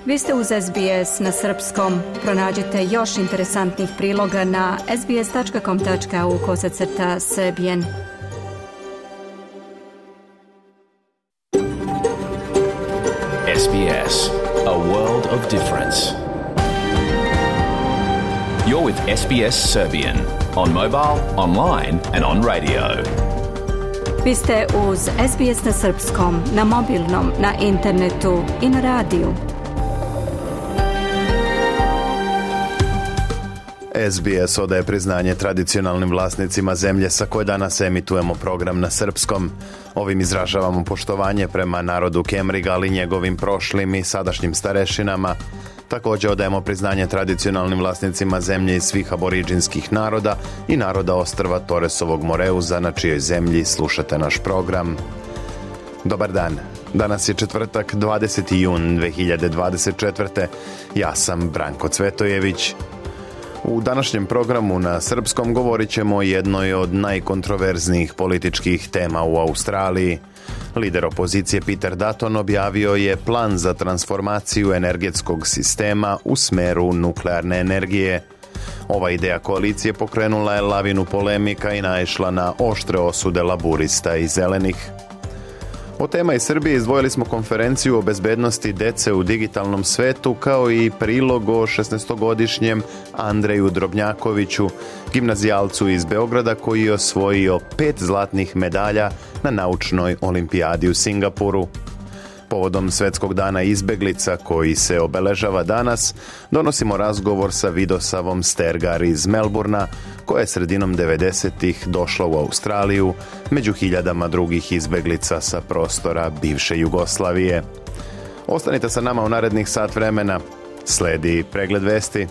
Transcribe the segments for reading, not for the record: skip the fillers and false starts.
Vi ste uz SBS na srpskom. Pronađite još interesantnih priloga na sbs.com.au/serbian. SBS, a world of difference. You're with SBS Serbian on mobile, online and on radio. Vi ste uz SBS na srpskom, na mobilnom, na internetu i na radiju. SBS odaje priznanje tradicionalnim vlasnicima zemlje sa koje danas emitujemo program na srpskom. Ovim izražavamo poštovanje prema narodu Kemriga, ali njegovim prošlim i sadašnjim starešinama. Također odajemo priznanje tradicionalnim vlasnicima zemlje iz svih aboriđinskih naroda i naroda ostrva Torresovog Moreuza, na čijoj zemlji slušate naš program. Dobar dan. Danas je četvrtak, 20. jun 2024. Ja sam Branko Cvetojević. U današnjem programu na srpskom govorit ćemo o jednoj od najkontroverznijih političkih tema u Australiji. Lider opozicije Peter Dutton objavio je plan za transformaciju energetskog sistema u smeru nuklearne energije. Ova ideja koalicije pokrenula je lavinu polemika i naišla na oštre osude laburista i zelenih. Od tema iz Srbije izdvojili smo konferenciju o bezbednosti dece u digitalnom svetu, kao i prilog o 16-godišnjem Andreju Drobnjakoviću, gimnazijalcu iz Beograda koji je osvojio 5 zlatnih medalja na naučnoj olimpijadi u Singapuru. Povodom Svetskog dana izbeglica koji se obeležava danas, donosimo razgovor sa Vidosavom Stergar iz Melburna, koja je sredinom 90-ih došla u Australiju među hiljadama drugih izbeglica sa prostora bivše Jugoslavije. Ostanite sa nama u narednih sat vremena. Sledi pregled vesti.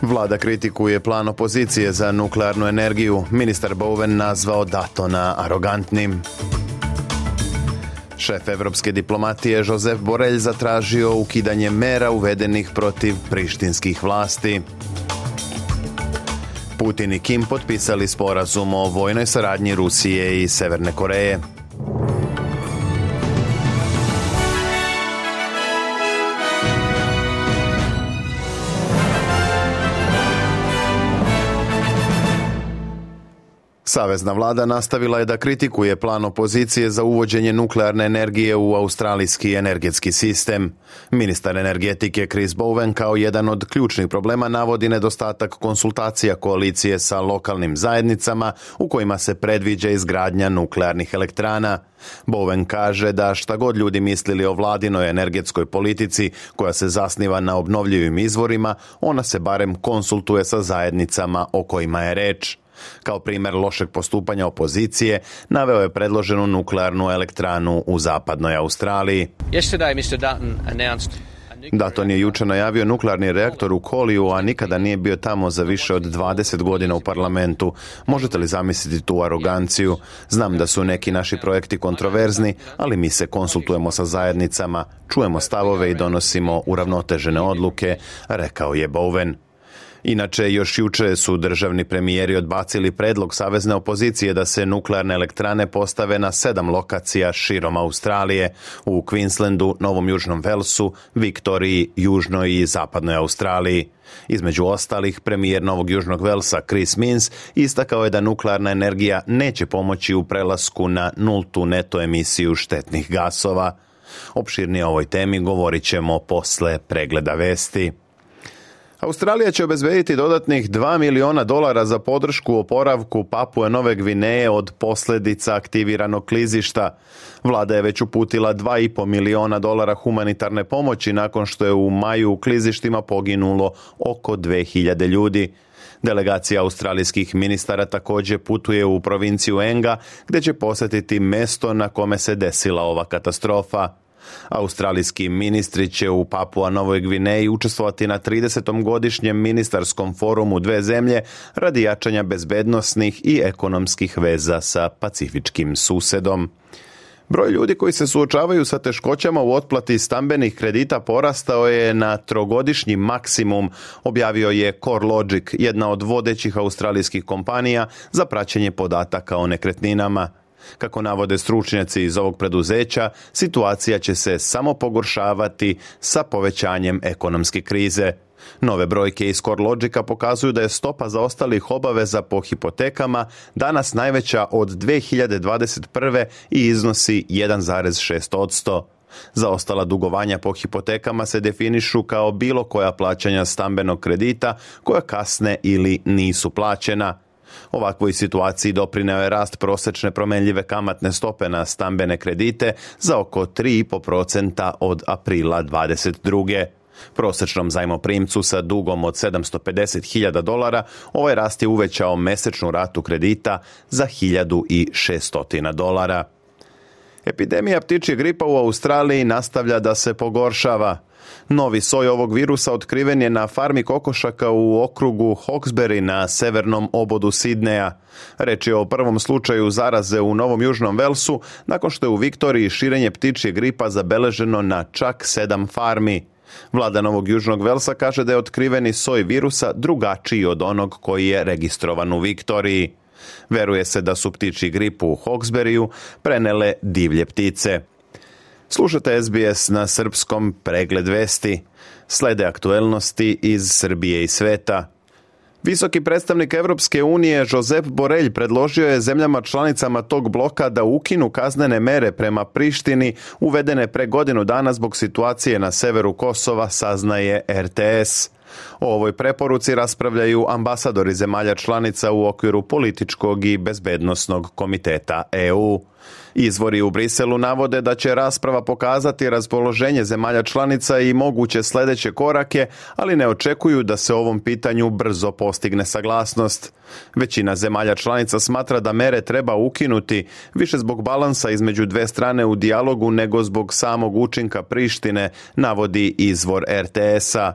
Vlada kritikuje plan opozicije za nuklearnu energiju. Ministar Bowen nazvao Duttona arogantnim. Šef evropske diplomatije Josep Borrell zatražio ukidanje mera uvedenih protiv prištinskih vlasti. Putin i Kim potpisali sporazum o vojnoj saradnji Rusije i Severne Koreje. Savezna vlada nastavila je da kritikuje plan opozicije za uvođenje nuklearne energije u australijski energetski sistem. Ministar energetike Chris Bowen kao jedan od ključnih problema navodi nedostatak konsultacija koalicije sa lokalnim zajednicama u kojima se predviđa izgradnja nuklearnih elektrana. Bowen kaže da šta god ljudi mislili o vladinoj energetskoj politici koja se zasniva na obnovljivim izvorima, ona se barem konsultuje sa zajednicama o kojima je reč. Kao primjer lošeg postupanja opozicije, naveo je predloženu nuklearnu elektranu u zapadnoj Australiji. Dutton je jučer najavio nuklearni reaktor u Koliju, a nikada nije bio tamo za više od 20 godina u parlamentu. Možete li zamisliti tu aroganciju? Znam da su neki naši projekti kontroverzni, ali mi se konsultujemo sa zajednicama, čujemo stavove i donosimo uravnotežene odluke, rekao je Bowen. Inače, još juče su državni premijeri odbacili predlog savezne opozicije da se nuklearne elektrane postave na 7 lokacija širom Australije, u Queenslandu, Novom Južnom Velsu, Viktoriji, Južnoj i Zapadnoj Australiji. Između ostalih, premijer Novog Južnog Velsa Chris Minns istakao je da nuklearna energija neće pomoći u prelasku na nultu neto emisiju štetnih gasova. Opširnije o ovoj temi govorit ćemo posle pregleda vesti. Australija će obezbediti dodatnih $2 miliona za podršku oporavku Papue Nove Gvineje od posljedica aktiviranog klizišta. Vlada je već uputila $2,5 miliona humanitarne pomoći nakon što je u maju u klizištima poginulo oko 2000 ljudi. Delegacija australijskih ministara također putuje u provinciju Enga, gdje će posjetiti mesto na kome se desila ova katastrofa. Australijski ministri će u Papua Novoj Gvineji učestvovati na 30. godišnjem ministarskom forumu dve zemlje radi jačanja bezbednosnih i ekonomskih veza sa pacifičkim susedom. Broj ljudi koji se suočavaju sa teškoćama u otplati stambenih kredita porastao je na trogodišnji maksimum, objavio je CoreLogic, jedna od vodećih australijskih kompanija za praćenje podataka o nekretninama. Kako navode stručnjaci iz ovog preduzeća, situacija će se samo pogoršavati sa povećanjem ekonomske krize. Nove brojke iz CoreLogica pokazuju da je stopa zaostalih obaveza po hipotekama danas najveća od 2021. i iznosi 1,6%. Zaostala dugovanja po hipotekama se definišu kao bilo koja plaćanja stambenog kredita koja kasne ili nisu plaćena. Ovakvoj situaciji doprineo je rast prosječne promjenjive kamatne stope na stambene kredite za oko 3,5% od aprila 2022. Prosječnom zajmoprimcu sa dugom od $750.000 ovaj rast je uvećao mesečnu ratu kredita za $1.600. Epidemija ptičjeg gripa u Australiji nastavlja da se pogoršava. Novi soj ovog virusa otkriven je na farmi kokošaka u okrugu Hawkesbury na severnom obodu Sidneja. Reč je o prvom slučaju zaraze u Novom Južnom Velsu, nakon što je u Viktoriji širenje ptičjeg gripa zabeleženo na čak 7 farmi. Vlada Novog Južnog Velsa kaže da je otkriveni soj virusa drugačiji od onog koji je registrovan u Viktoriji. Veruje se da su ptičji grip u Hawkesburyu prenele divlje ptice. Slušate SBS na srpskom, pregled vesti. Slede aktuelnosti iz Srbije i sveta. Visoki predstavnik Evropske unije Josep Borrell predložio je zemljama članicama tog bloka da ukinu kaznene mere prema Prištini uvedene pre godinu dana zbog situacije na severu Kosova, saznaje RTS. O ovoj preporuci raspravljaju ambasadori zemalja članica u okviru političkog i bezbednosnog komiteta EU. Izvori u Briselu navode da će rasprava pokazati raspoloženje zemalja članica i moguće sljedeće korake, ali ne očekuju da se ovom pitanju brzo postigne saglasnost. Većina zemalja članica smatra da mere treba ukinuti, više zbog balansa između dve strane u dijalogu nego zbog samog učinka Prištine, navodi izvor RTS-a.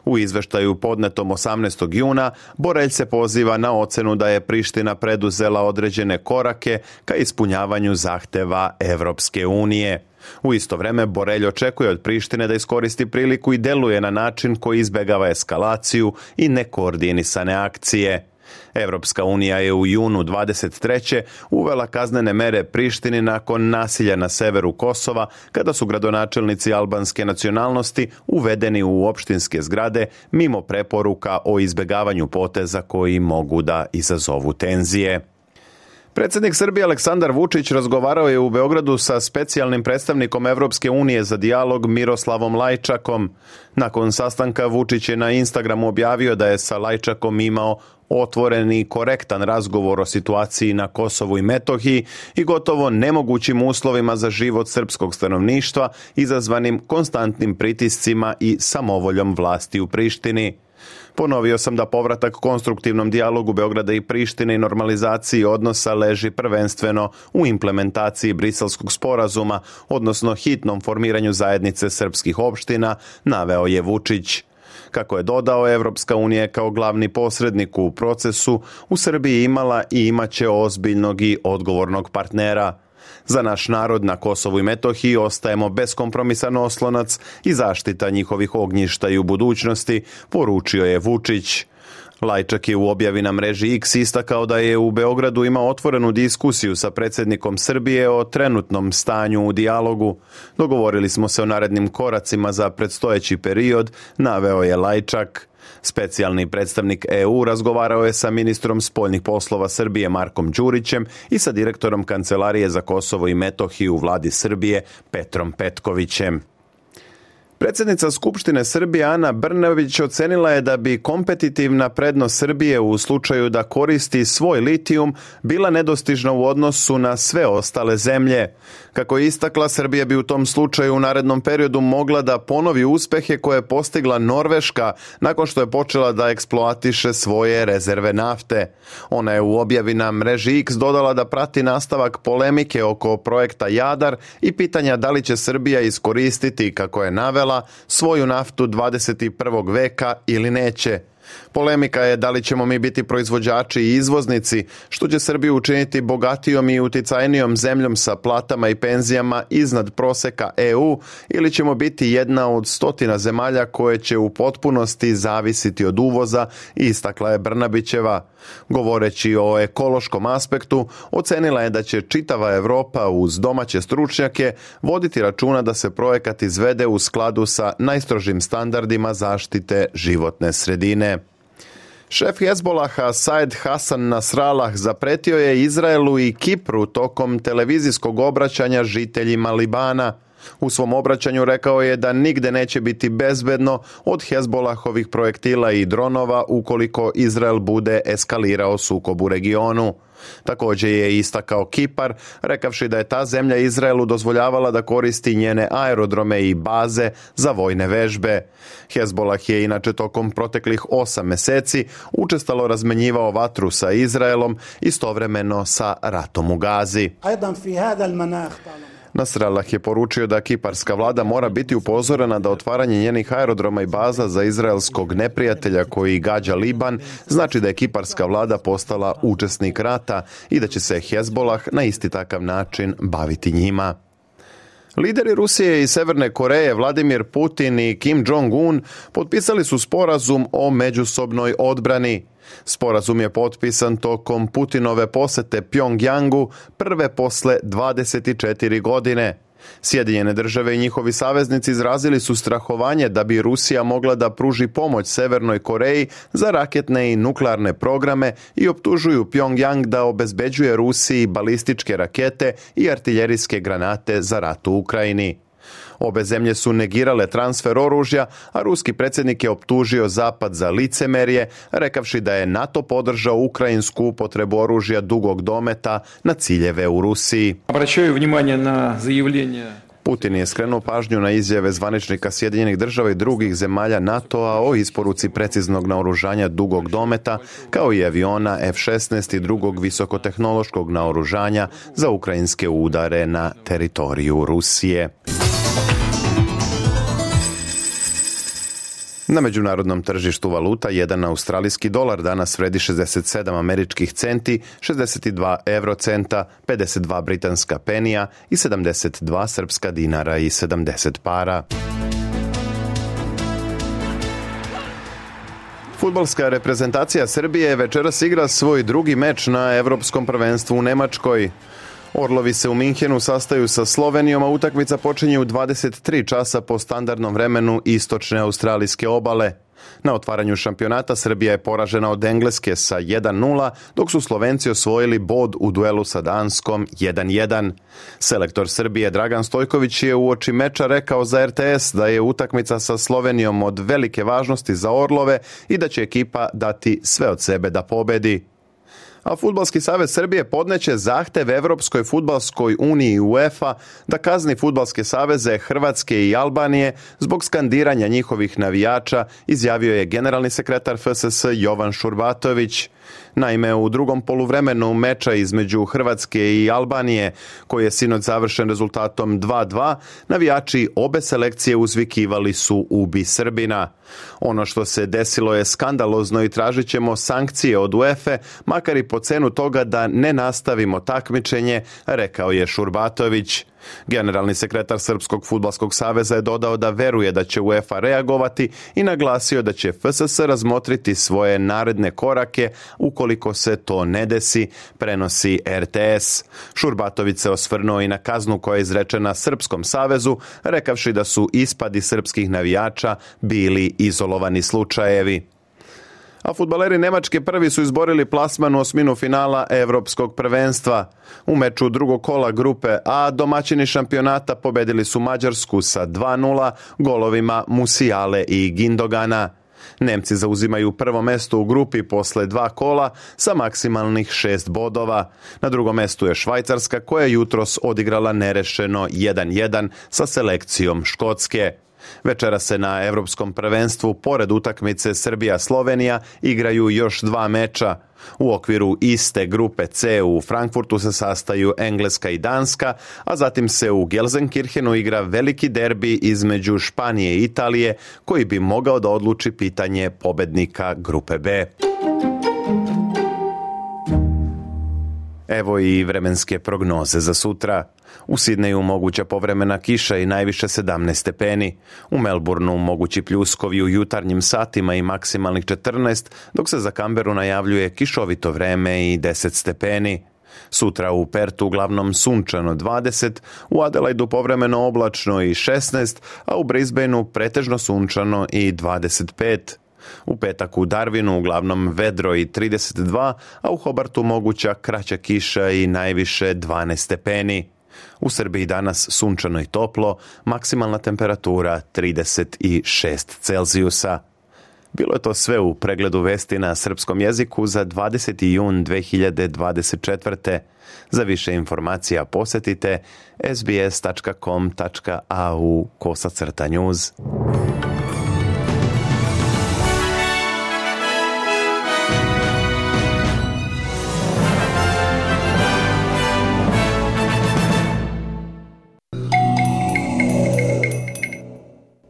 U izveštaju podnetom 18. juna Borrell se poziva na ocenu da je Priština preduzela određene korake ka ispunjavanju zahteva Evropske unije. U isto vrijeme Borrell očekuje od Prištine da iskoristi priliku i deluje na način koji izbegava eskalaciju i nekoordinisane akcije. Evropska unija je u junu 23. uvela kaznene mere Prištini nakon nasilja na severu Kosova, kada su gradonačelnici albanske nacionalnosti uvedeni u opštinske zgrade mimo preporuka o izbegavanju poteza koji mogu da izazovu tenzije. Predsjednik Srbije Aleksandar Vučić razgovarao je u Beogradu sa specijalnim predstavnikom Evropske unije za dijalog Miroslavom Lajčakom. Nakon sastanka Vučić je na Instagramu objavio da je sa Lajčakom imao otvoren i korektan razgovor o situaciji na Kosovu i Metohiji i gotovo nemogućim uslovima za život srpskog stanovništva izazvanim konstantnim pritiscima i samovoljom vlasti u Prištini. Ponovio sam da povratak konstruktivnom dijalogu Beograda i Prištine i normalizaciji odnosa leži prvenstveno u implementaciji Briselskog sporazuma, odnosno hitnom formiranju zajednice srpskih opština, naveo je Vučić. Kako je dodao, Evropska unija kao glavni posrednik u procesu u Srbiji imala i imaće ozbiljnog i odgovornog partnera. Za naš narod na Kosovu i Metohiji ostajemo beskompromisan oslonac i zaštita njihovih ognjišta i u budućnosti, poručio je Vučić. Lajčak je u objavi na mreži X istakao da je u Beogradu imao otvorenu diskusiju sa predsjednikom Srbije o trenutnom stanju u dijalogu. Dogovorili smo se o narednim koracima za predstojeći period, naveo je Lajčak. Specijalni predstavnik EU razgovarao je sa ministrom spoljnih poslova Srbije Markom Đurićem i sa direktorom Kancelarije za Kosovo i Metohiju u vladi Srbije Petrom Petkovićem. Predsjednica Skupštine Srbije Ana Brnabić ocenila je da bi kompetitivna prednost Srbije u slučaju da koristi svoj litijum bila nedostižna u odnosu na sve ostale zemlje. Kako je istakla, Srbija bi u tom slučaju u narednom periodu mogla da ponovi uspehe koje je postigla Norveška nakon što je počela da eksploatiše svoje rezerve nafte. Ona je u objavi na mreži X dodala da prati nastavak polemike oko projekta Jadar i pitanja da li će Srbija iskoristiti, kako je navela, svoju naftu 21. veka ili neće. Polemika je da li ćemo mi biti proizvođači i izvoznici, što će Srbiju učiniti bogatijom i uticajnijom zemljom sa platama i penzijama iznad proseka EU, ili ćemo biti jedna od 100 zemalja koje će u potpunosti zavisiti od uvoza, istakla je Brnabićeva. Govoreći o ekološkom aspektu, ocenila je da će čitava Evropa uz domaće stručnjake voditi računa da se projekat izvede u skladu sa najstrožim standardima zaštite životne sredine. Šef Hezbolaha Said Hasan Nasrallah zapretio je Izraelu i Kipru tokom televizijskog obraćanja žiteljima Libana. U svom obraćanju rekao je da nigde neće biti bezbedno od Hezbolahovih projektila i dronova ukoliko Izrael bude eskalirao sukob u regionu. Također je istakao Kipar, rekavši da je ta zemlja Izraelu dozvoljavala da koristi njene aerodrome i baze za vojne vežbe. Hezbolah je inače tokom proteklih 8 meseci učestalo razmenjivao vatru sa Izraelom, istovremeno sa ratom u Gazi. Nasrallah je poručio da kiparska vlada mora biti upozorena da otvaranje njenih aerodroma i baza za izraelskog neprijatelja koji gađa Liban znači da je kiparska vlada postala učesnik rata i da će se Hezbolah na isti takav način baviti njima. Lideri Rusije i Severne Koreje Vladimir Putin i Kim Jong-un potpisali su sporazum o međusobnoj odbrani. Sporazum je potpisan tokom Putinove posete Pjongjangu prve posle 24 godine. Sjedinjene države i njihovi saveznici izrazili su strahovanje da bi Rusija mogla da pruži pomoć Severnoj Koreji za raketne i nuklearne programe i optužuju Pjongjang da obezbeđuje Rusiji balističke rakete i artiljerijske granate za rat u Ukrajini. Obe zemlje su negirale transfer oružja, a ruski predsjednik je optužio Zapad za licemerje, rekavši da je NATO podržao ukrajinsku upotrebu oružja dugog dometa na ciljeve u Rusiji. Obraćaju vнимание na заявление. Putin je skrenuo pažnju na izjave zvaničnika Sjedinjenih država i drugih zemalja NATO-a o isporuci preciznog naoružanja dugog dometa, kao i aviona F-16 i drugog visokotehnološkog naoružanja za ukrajinske udare na teritoriju Rusije. Na međunarodnom tržištu valuta jedan australijski dolar danas vredi 67 američkih centi, 62 eurocenta, 52 britanska penija i 72 srpska dinara i 70 para. Fudbalska reprezentacija Srbije večeras igra svoj drugi meč na Evropskom prvenstvu u Nemačkoj. Orlovi se u Minhenu sastaju sa Slovenijom, a utakmica počinje u 23 časa po standardnom vremenu istočne australijske obale. Na otvaranju šampionata Srbija je poražena od Engleske sa 1-0, dok su Slovenci osvojili bod u duelu sa Danskom 1-1. Selektor Srbije Dragan Stojković je uoči meča rekao za RTS da je utakmica sa Slovenijom od velike važnosti za Orlove i da će ekipa dati sve od sebe da pobedi. A Fudbalski savez Srbije podneće zahtev Evropskoj fudbalskoj uniji UEFA da kazni fudbalske saveze Hrvatske i Albanije zbog skandiranja njihovih navijača, izjavio je generalni sekretar FSS Jovan Šurbatović. Naime, u drugom poluvremenu meča između Hrvatske i Albanije, koji je sinoć završen rezultatom 2-2, navijači obe selekcije uzvikivali su "Ubi Srbina". Ono što se desilo je skandalozno i tražit ćemo sankcije od UEFA, makar i po cenu toga da ne nastavimo takmičenje, rekao je Šurbatović. Generalni sekretar Srpskog fudbalskog saveza je dodao da veruje da će UEFA reagovati i naglasio da će FSS razmotriti svoje naredne korake ukoliko se to ne desi, prenosi RTS. Šurbatović se osvrnuo i na kaznu koja je izrečena Srpskom savezu, rekavši da su ispadi srpskih navijača bili izolovani slučajevi. A fudbaleri Nemačke prvi su izborili plasman u osminu finala Evropskog prvenstva. U meču drugog kola grupe A domaćini šampionata pobedili su Mađarsku sa 2-0 golovima Musiale i Gindogana. Nemci zauzimaju prvo mesto u grupi posle 2 kola sa maksimalnih 6 bodova. Na drugom mestu je Švajcarska koja jutros odigrala nerešeno 1-1 sa selekcijom Škotske. Večera se na Evropskom prvenstvu, pored utakmice Srbija-Slovenija, igraju još 2 meča. U okviru iste grupe C u Frankfurtu se sastaju Engleska i Danska, a zatim se u Gelsenkirchenu igra veliki derbi između Španije i Italije, koji bi mogao da odluči pitanje pobednika grupe B. Evo i vremenske prognoze za sutra. U Sidneju moguća povremena kiša i najviše 17 stepeni. U Melbourneu mogući pljuskovi u jutarnjim satima i maksimalnih 14, dok se za Canberu najavljuje kišovito vreme i 10 stepeni. Sutra u Pertu uglavnom sunčano 20, u Adelaidu povremeno oblačno i 16, a u Brisbaneu pretežno sunčano i 25. U petak u Darwinu uglavnom vedro i 32, a u Hobartu moguća kraća kiša i najviše 12 stepeni. U Srbiji danas sunčano i toplo, maksimalna temperatura 36 Celzijusa. Bilo je to sve u pregledu vesti na srpskom jeziku za 20. jun 2024. Za više informacija posjetite sbs.com.au/news.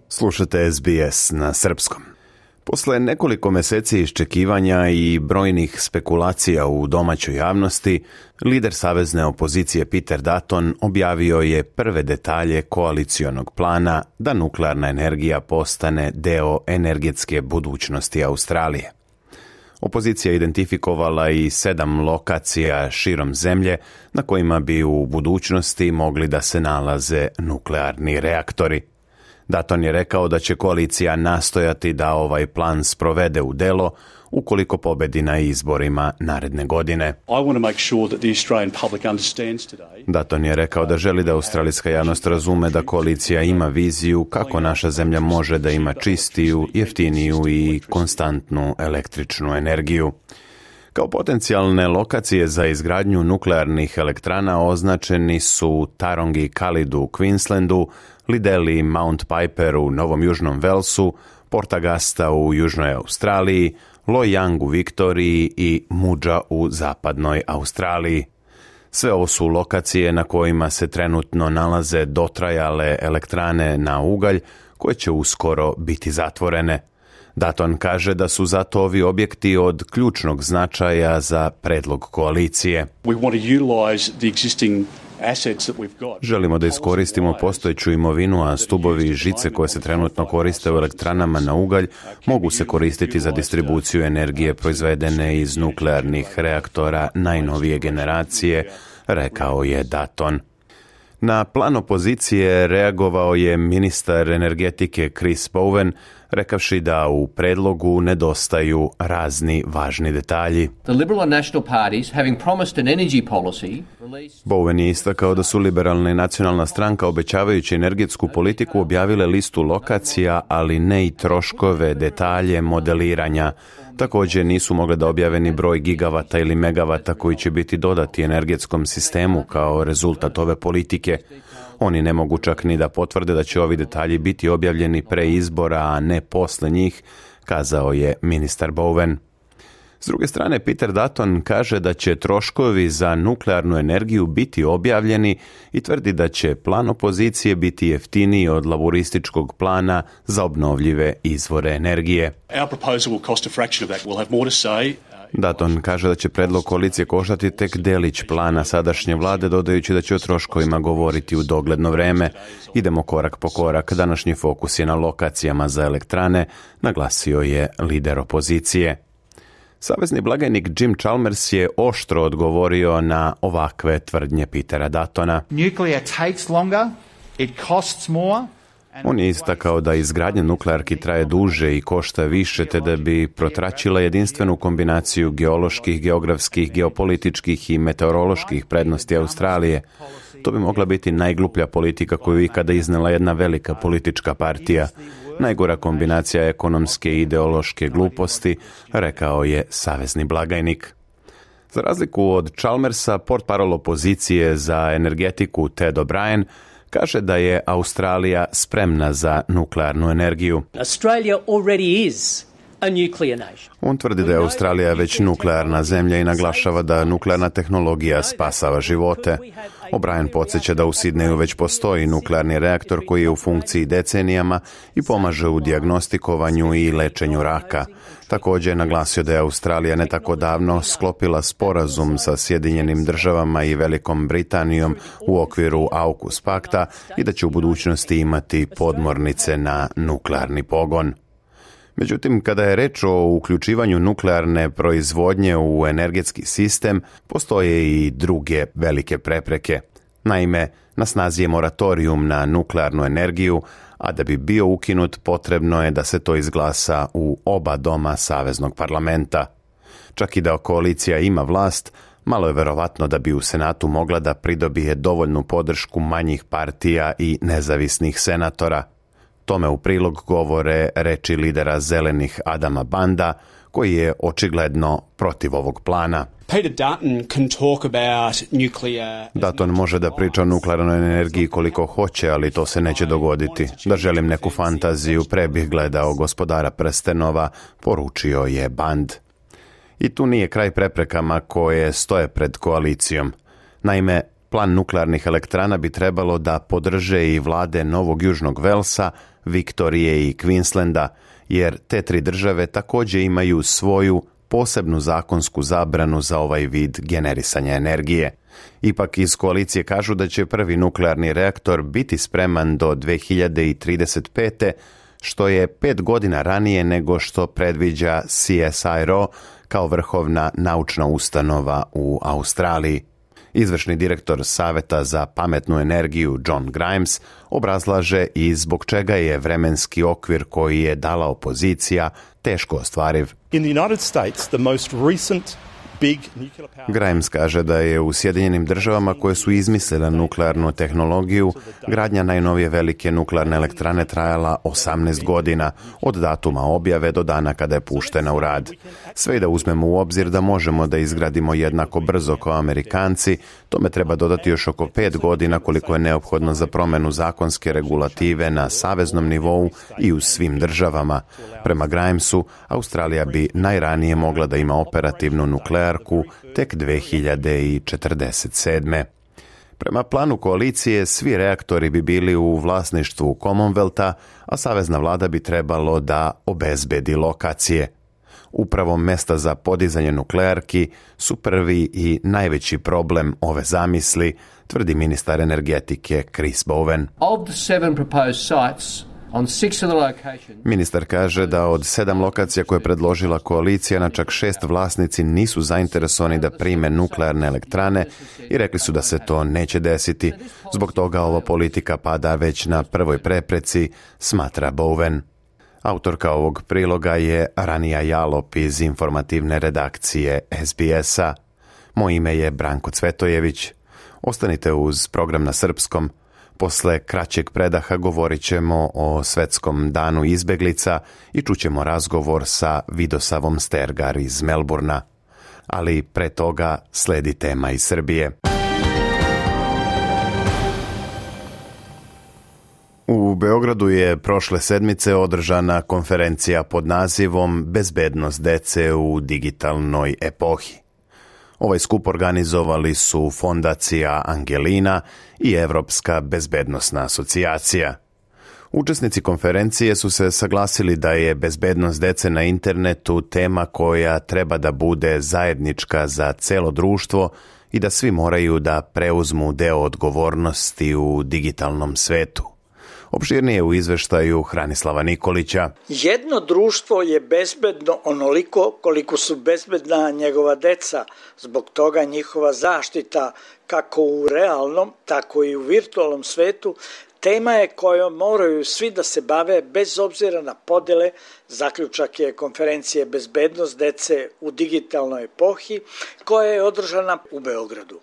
Slušate SBS na srpskom. Posle nekoliko meseci iščekivanja i brojnih spekulacija u domaćoj javnosti, lider savezne opozicije Peter Dutton objavio je prve detalje koalicionog plana da nuklearna energija postane deo energetske budućnosti Australije. Opozicija identifikovala i 7 lokacija širom zemlje na kojima bi u budućnosti mogli da se nalaze nuklearni reaktori. Dutton je rekao da će koalicija nastojati da ovaj plan sprovede u delo ukoliko pobedi na izborima naredne godine. Dutton je rekao da želi da australijska javnost razume da koalicija ima viziju kako naša zemlja može da ima čistiju, jeftiniju i konstantnu električnu energiju. Kao potencijalne lokacije za izgradnju nuklearnih elektrana označeni su Tarongi Kalidu u Queenslandu, Liddell i Mount Piper u Novom Južnom Velsu, Port Augusta u Južnoj Australiji, Loy Yang u Viktoriji i Mudža u Zapadnoj Australiji. Sve ovo su lokacije na kojima se trenutno nalaze dotrajale elektrane na ugalj koje će uskoro biti zatvorene. Dutton kaže da su zato ovi objekti od ključnog značaja za predlog koalicije. Želimo da iskoristimo postojeću imovinu, a stubovi i žice koje se trenutno koriste u elektranama na ugalj mogu se koristiti za distribuciju energije proizvedene iz nuklearnih reaktora najnovije generacije, rekao je Dutton. Na plan opozicije reagovao je ministar energetike Chris Bowen, rekavši da u predlogu nedostaju razni važni detalji. Bowen je istakao da su Liberalna i Nacionalna stranka obećavajući energetsku politiku objavile listu lokacija, ali ne i troškove, detalje, modeliranja. Također nisu mogle da objave ni broj gigavata ili megavata koji će biti dodati energetskom sistemu kao rezultat ove politike. Oni ne mogu čak ni da potvrde da će ovi detalji biti objavljeni pre izbora, a ne posle njih, kazao je ministar Bowen. S druge strane, Peter Dutton kaže da će troškovi za nuklearnu energiju biti objavljeni i tvrdi da će plan opozicije biti jeftiniji od laborističkog plana za obnovljive izvore energije. Dutton kaže da će predlog koalicije koštati tek delić plana sadašnje vlade, dodajući da će o troškovima govoriti u dogledno vreme. Idemo korak po korak, današnji fokus je na lokacijama za elektrane, naglasio je lider opozicije. Savezni blagajnik Jim Chalmers je oštro odgovorio na ovakve tvrdnje Petera Duttona. On je istakao da izgradnja nuklearki traje duže i košta više, te da bi protračila jedinstvenu kombinaciju geoloških, geografskih, geopolitičkih i meteoroloških prednosti Australije. To bi mogla biti najgluplja politika koju ikada iznela jedna velika politička partija. Najgora kombinacija ekonomske i ideološke gluposti, rekao je savezni blagajnik. Za razliku od Chalmersa, portparol opozicije za energetiku Ted O'Brien kaže da je Australija spremna za nuklearnu energiju. Australia already is a nuclear nation. On tvrdi da je Australija već nuklearna zemlja i naglašava da nuklearna tehnologija spasava živote. O'Brien podsjeća da u Sidneju već postoji nuklearni reaktor koji je u funkciji decenijama i pomaže u dijagnostikovanju i lečenju raka. Također je naglasio da je Australija ne tako davno sklopila sporazum sa Sjedinjenim državama i Velikom Britanijom u okviru AUKUS pakta i da će u budućnosti imati podmornice na nuklearni pogon. Međutim, kada je reč o uključivanju nuklearne proizvodnje u energetski sistem, postoje i druge velike prepreke. Naime, na snazi je moratorijum na nuklearnu energiju, a da bi bio ukinut potrebno je da se to izglasa u oba doma Saveznog parlamenta. Čak i da koalicija ima vlast, malo je verovatno da bi u Senatu mogla da pridobije dovoljnu podršku manjih partija i nezavisnih senatora. Tome u prilog govore reči lidera zelenih Adama Banda, koji je očigledno protiv ovog plana. Dutton može da priča o nuklearnoj energiji koliko hoće, ali to se neće dogoditi. Da želim neku fantaziju, pre bih gledao Gospodara prstenova, poručio je Band. I tu nije kraj preprekama koje stoje pred koalicijom. Naime, plan nuklearnih elektrana bi trebalo da podrže i vlade Novog Južnog Velsa, Viktorije i Queenslanda, jer te tri države također imaju svoju posebnu zakonsku zabranu za ovaj vid generisanja energije. Ipak iz koalicije kažu da će prvi nuklearni reaktor biti spreman do 2035. što je 5 godina ranije nego što predviđa CSIRO kao vrhovna naučna ustanova u Australiji. Izvršni direktor Saveta za pametnu energiju John Grimes obrazlaže i zbog čega je vremenski okvir koji je dala opozicija teško ostvariv. In the United States, the most recent Grimes kaže da je u Sjedinjenim državama koje su izmislile nuklearnu tehnologiju, gradnja najnovije velike nuklearne elektrane trajala 18 godina, od datuma objave do dana kada je puštena u rad. Sve i da uzmemo u obzir da možemo da izgradimo jednako brzo kao Amerikanci, tome treba dodati još oko 5 godina koliko je neophodno za promjenu zakonske regulative na saveznom nivou i u svim državama. Prema Grimesu, Australija bi najranije mogla da ima operativnu nuklearku tek 2047. Prema planu koalicije, svi reaktori bi bili u vlasništvu Commonwealtha, a savezna vlada bi trebalo da obezbedi lokacije. Upravo mesta za podizanje nuklearki su prvi i najveći problem ove zamisli, tvrdi ministar energetike Chris Bowen. Of the 7 proposed sites, ministar kaže da od 7 lokacija koje je predložila koalicija, na čak 6 vlasnici nisu zainteresovani da prime nuklearne elektrane i rekli su da se to neće desiti. Zbog toga ova politika pada već na prvoj prepreci, smatra Bowen. Autorka ovog priloga je Ranija Jalop iz informativne redakcije SBS-a. Moje ime je Branko Cvetojević. Ostanite uz program na srpskom. Posle kraćeg predaha govorit ćemo o Svetskom danu izbeglica i čućemo razgovor sa Vidosavom Stergar iz Melburna. Ali pre toga sledi tema iz Srbije. U Beogradu je prošle sedmice održana konferencija pod nazivom Bezbednost dece u digitalnoj epohi. Ovaj skup organizovali su Fondacija Angelina i Evropska bezbednosna asocijacija. Učesnici konferencije su se saglasili da je bezbednost dece na internetu tema koja treba da bude zajednička za celo društvo i da svi moraju da preuzmu deo odgovornosti u digitalnom svetu. Opširnije u izveštaju Hranislava Nikolića. Jedno društvo je bezbedno onoliko koliko su bezbedna njegova deca, zbog toga njihova zaštita kako u realnom, tako i u virtualnom svetu tema je kojom moraju svi da se bave bez obzira na podele. Zaključak je konferencije Bezbednost dece u digitalnoj epohi koja je održana u Beogradu.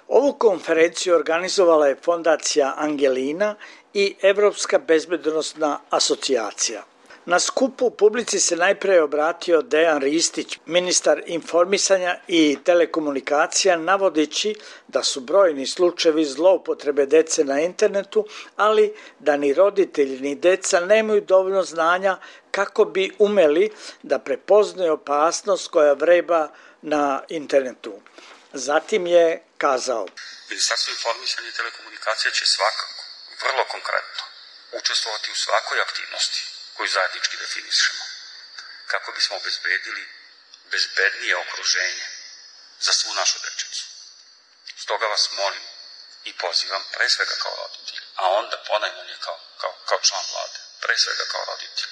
Ovu konferenciju organizovala je Fondacija Angelina i Evropska bezbednosna asocijacija. Na skupu publici se najpre obratio Dejan Ristić, ministar informisanja i telekomunikacija, navodeći da su brojni slučajevi zloupotrebe dece na internetu, ali da ni roditelji ni deca nemaju dovoljno znanja kako bi umeli da prepoznaju opasnost koja vreba na internetu. Zatim je kazao: Ministarstvo informisanja i telekomunikacija će svakako, vrlo konkretno, učestvovati u svakoj aktivnosti koju zajednički definišemo, kako bismo obezbedili bezbednije okruženje za svu našu dečicu. Stoga vas molim i pozivam, pre svega kao roditelj, a onda ponajmanje kao član vlade, pre svega kao roditelj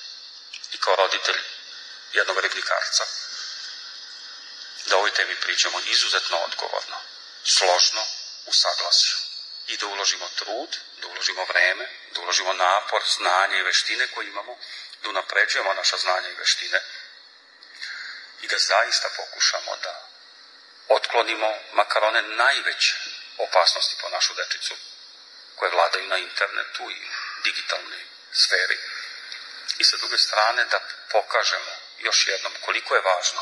i kao roditelj jednog ribnikarca, da o ovoj temi pričamo izuzetno odgovorno, složno, u saglasju i da uložimo trud, da uložimo vreme, da uložimo napor, znanje i veštine koje imamo, da unapređujemo naša znanja i veštine i da zaista pokušamo da otklonimo makar one najveće opasnosti po našu dečicu koje vladaju na internetu i digitalnoj sferi i sa druge strane da pokažemo još jednom koliko je važno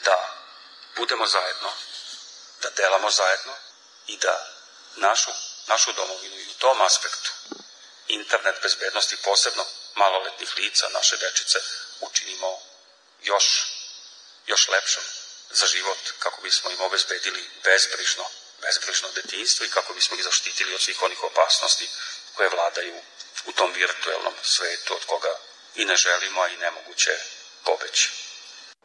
da budemo zajedno, da delamo zajedno i da našu domovinu i u tom aspektu internet bezbednosti, posebno maloletnih lica, naše dečice, učinimo još lepšom za život, kako bismo im obezbedili bezbrižno detinjstvo i kako bismo ih zaštitili od svih onih opasnosti koje vladaju u tom virtuelnom svetu od koga i ne želimo, a i nemoguće pobeći.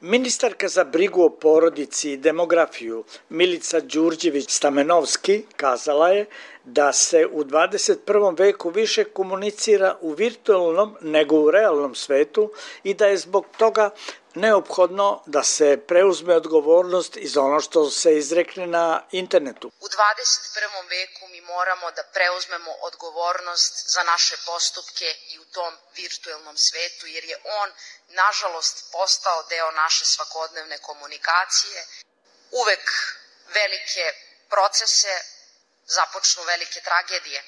Ministarka za brigu o porodici i demografiju Milica Đurđević-Stamenovski kazala je da se u 21. veku više komunicira u virtualnom nego u realnom svetu i da je zbog toga neophodno da se preuzme odgovornost i za ono što se izrekne na internetu. U 21. veku mi moramo da preuzmemo odgovornost za naše postupke i u tom virtualnom svetu, jer je on, nažalost, postao deo naše svakodnevne komunikacije. Uvek velike procese započnu velike tragedije,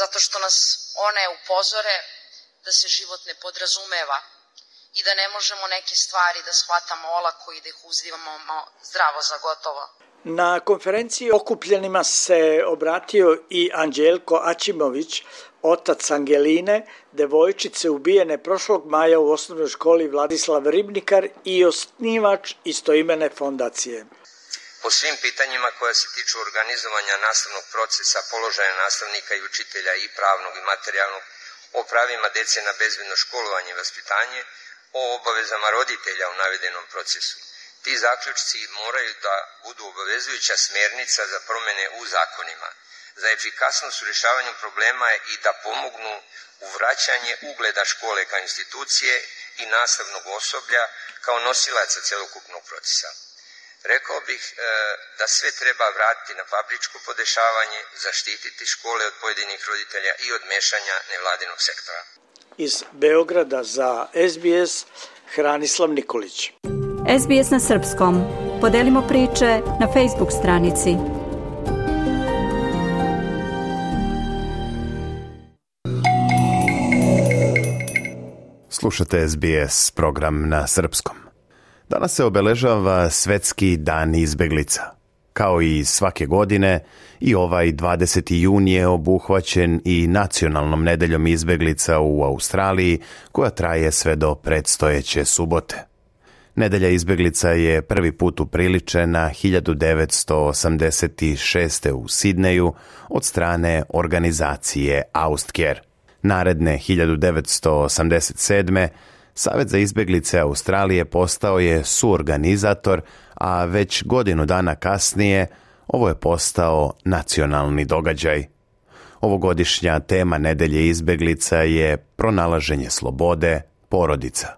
zato što nas one upozore da se život ne podrazumeva i da ne možemo neke stvari da shvatamo olako i da ih uzimamo zdravo za gotovo. Na konferenciji okupljenima se obratio i Anđelko Aćimović, otac Angeline, devojčice ubijene prošlog maja u osnovnoj školi Vladislav Ribnikar i osnivač istoimene fondacije. Po svim pitanjima koja se tiču organizovanja nastavnog procesa, položaja nastavnika i učitelja i pravnog i materijalnog, o pravima dece na bezbedno školovanje i vaspitanje, o obavezama roditelja u navedenom procesu. Ti zaključci moraju da budu obavezujuća smernica za promene u zakonima, za efikasnost u rješavanju problema i da pomognu u vraćanje ugleda škole kao institucije i nastavnog osoblja kao nosilaca celokupnog procesa. Rekao bih da sve treba vratiti na fabričko podešavanje, zaštititi škole od pojedinih roditelja i od mešanja nevladinog sektora. Iz Beograda za SBS, Hranislav Nikolić. SBS na srpskom. Podelimo priče na Facebook stranici. Slušate SBS, program na srpskom. Danas se obeležava Svetski dan izbeglica. Kao i svake godine, i ovaj 20. jun je obuhvaćen i nacionalnom nedeljom izbeglica u Australiji, koja traje sve do predstojeće subote. Nedelja izbeglica je prvi put upriličena 1986. u Sidneju od strane organizacije Austcare. Naredne 1987. Savez za izbeglice Australije postao je suorganizator, a već godinu dana kasnije ovo je postao nacionalni događaj. Ovogodišnja tema Nedelje izbeglica je pronalaženje slobode, porodica.